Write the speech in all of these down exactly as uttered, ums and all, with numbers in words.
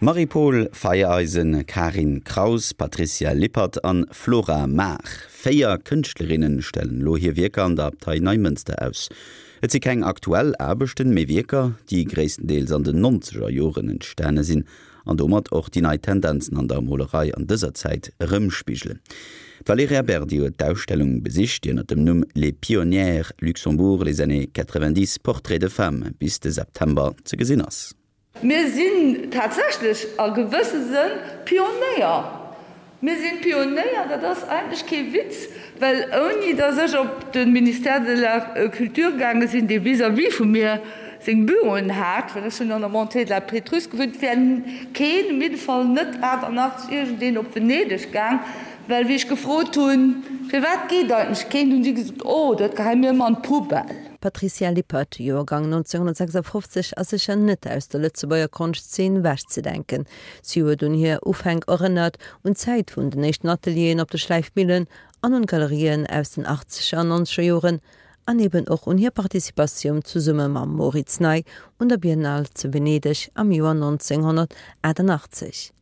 Marie-Paule Feyereisen, Karin Kraus, Patricia Lippert an Flora Maar. Véier Kënschtlerinne stellen elo hir Wierker an der Abtei Neimënster aus. Et si keng aktuell Aarbechten, mee Wierker, déi gréisstendeels an den nonzeger Joren entstane sinn an domat och déi nei Tendenzen an der Molerei an dëser Zäit erëmspigelen. D'Valerija Berdi huet d'Ausstellung besicht, déi ënner dem Numm Les Pionnières Luxembourg, les années quatre-vingt-dix, portraits de femmes bis de September ze gesinn ass. Mir sinn tatsächlech a gewësse Sënn Pionéier. Mir sinn Pionéier, dat ass eigentlech kee Witz, well ouni datt ech op de Ministère de la Culture gaange sinn, dee vis-à-vis vu mir seng Büroen hat, well ech hunn an der Montée de la Pétrusse gewunnt, wär keen, op jidde Fall net aachtannachtzeg, iergendeen op Venedeg gaang, well wéi ech gefrot hunn, firwat geet eigentlech keen, hunn si gesot, oh, dat geheie mir ëmmer an d'Poubelle. D'Patricia Lippert, Joergang nonzénghonnertsechsafofzeg, ass sécher net aus der Lëtzebuerger Konschtzeen ewechzedenken. Si huet un hir Ufänk erënnert, un d'Zäit vun den éischten Atelieren op der Schläifmillen an un d'Galerien aus den achtzeger an nonzeger Joren an eben och un hir Participatioun zesumme mam Moritz Ney un der Biennale zu Venedeg am Joer nonzénghonnertachtannachtzeg.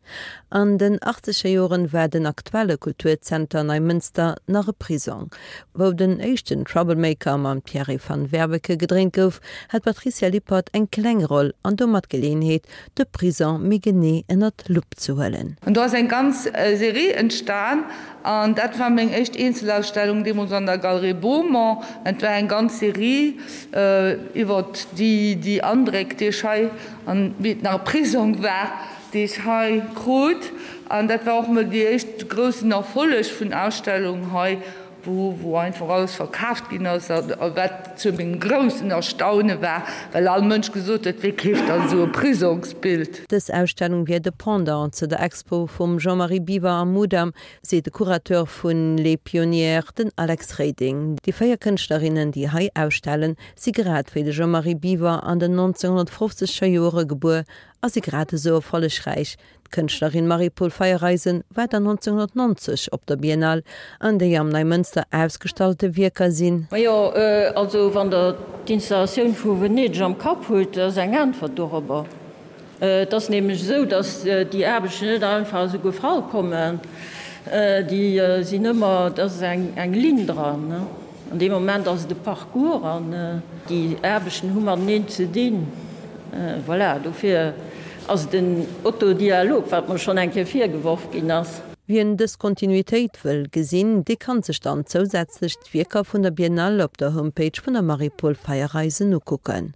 An den achtzeger Joren war den aktuelle Kulturzenter Neimënster nach e Prisong. Wou den éischten Troublemaker mam Thierry van Werveke gedréint gouf, hat d'Patricia Lippert eng kleng Roll an domat d'Geleeënheet, de Prisong méi genee ënnert d'Lupp ze huelen. An do ass eng ganz Serie entstan an dat war meng éischt Eenzelausstellung deemools an der Galerie Beaumont. Et war eng ganz Serie iwwert déi Andréck, déi ech hei, an wéi et nach e Prisong war, déi ech hei krut, an dat war och emol déi éischt groussen Erfolleg vun Ausstellung hei, wou wou einfach alles verkaaft ginn ass, a wat zu mengem groussen Erstaune war, well all Mënsch gesot huet, Wee keeft dann esou e Prisongsbild? Dës Ausstellung wier de Pendant zu der Expo vum Jean-Marie Biwer am Mudam, seet de Curateur vun Les Pionnières, den Alex Reding. Déi véier Kënschtlerinnen, déi hei ausstellen, si grad wéi de Jean-Marie Biwer an den nonzénghonnertfofzeger Joere gebuer a si grad esou erfollegräich. D'Kënschtlerin Marie-Paule Feyereisen war dann nonzénghonnertnonzeg op der Biennale, an déi am Neimënster ausgestallte Wierker sinn. Majo, also wann Der d'Installatioun vu Venedeg am Kapp hutt, dat ass eng Äntwert dorobber. Et ass nämlech esou, datt déi Aarbechten net einfach esou gefall kommen. Déi sinn ëmmer, et ass eng Linn dran. An deem Moment ass et e Parcours an déi Aarbechten hu mateneen ze dinn. Voilà, dofir ass et en Autodialog, wat mer schonn eng Kéier virgeworf ginn ass. Wien dës Kontinuitéit wëll gesinn, dee kann sech dann zousätzlech d'Wierker vun der Biennale op der Homepage vun der Marie-Paule Feyereisen ukucken.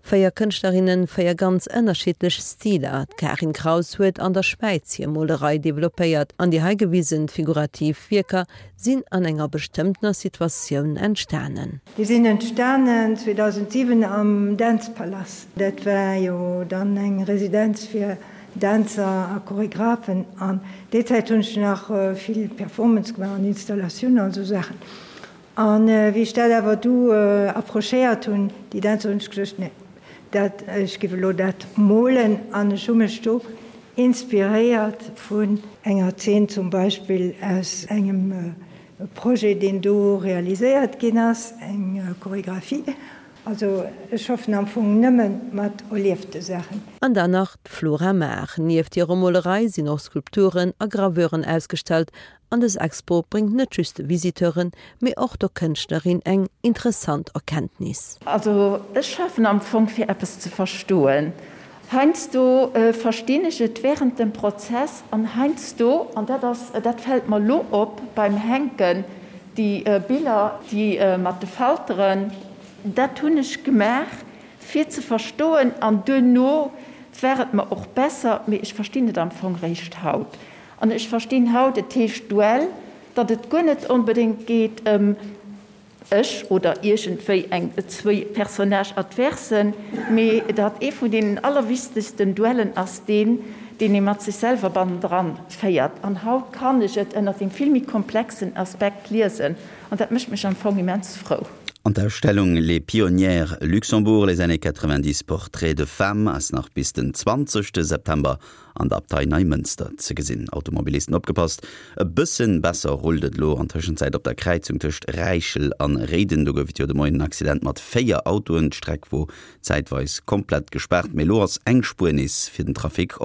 Véier Kënschtlerinnen, véier ganz ënnerschiddlech Stiler. D'Karin Kraus huet an der Schwäiz hir Molerei developpéiert an déi hei gewisen figurativ Wierker sinn an enger bestëmmtener Situatioun entstanen. Déi sinn entstanen zweedausendsiwen am Dance Palace. Dat war jo dann eng Residenz fir Dänzer a Choregraphen. An déi Zäit hunn ech nach vill Performance gemaach an Installatiounen an esou Saachen. An wéi ech dat awer du approchéiert hunn, déi Dänzer, hunn ech geduecht, nee, dat, ech géif elo dat molen. An ech hu mech do inspiréiert vun enger Zeen zum Beispill aus engem Projet, deen do realiséiert ginn ass, eng Choregraphie. Also ech schaffen am Fong nëmme mat erliefte Saachen. An dann nach d'Flora Maar. Nieft hirer Molerei sinn och Skulpturen a Graveuren ausgestallt an dës Expo bréngt net just de Visiteuren, mee och der Kënschtlerin eng interessant Erkenntnis. Also ech schaffen am Fong fir eppes ze verstoen. Heiansdo verstinn ech et während dem Prozess an heiansdo, an dat ass, dat fält mer elo op beim Hänken, déi Biller, déi mat de Falteren, dat hunn ech gemaach fir ze verstoen an duerno war et mer och besser, mee ech verstinn et am Fong réischt haut. An ech verstinn haut, et heescht Duell, datt et guer net onbedéngt geet ëm ech oder iergendwéi eng zwéi Personnage-adversen, mee datt ee vun deenen allerwichtegsten Duellen ass deen, deen ee mat sech selwer bannendran féiert. An haut kann ech et ënnert deem vill méi komplexen Aspekt liesen an dat mécht mech am Fong immens frou. An d'Ausstellung Les Pionnières Luxembourg, les années quatre-vingt-dix portraits de femmes ass nach bis den zwanzegste September an der Abtei Neimënster ze gesinn. Automobilisten opgepasst, e bëssen besser rullt et elo an Tëschenzäit op der Kräizung tëscht Räichel an Réiden. Do gouf et jo de Moien en Accident mat véier Autoen. D'Streck wor zäitweis komplett gespaart, mee elo ass eng Spuer nees fir den Trafic op.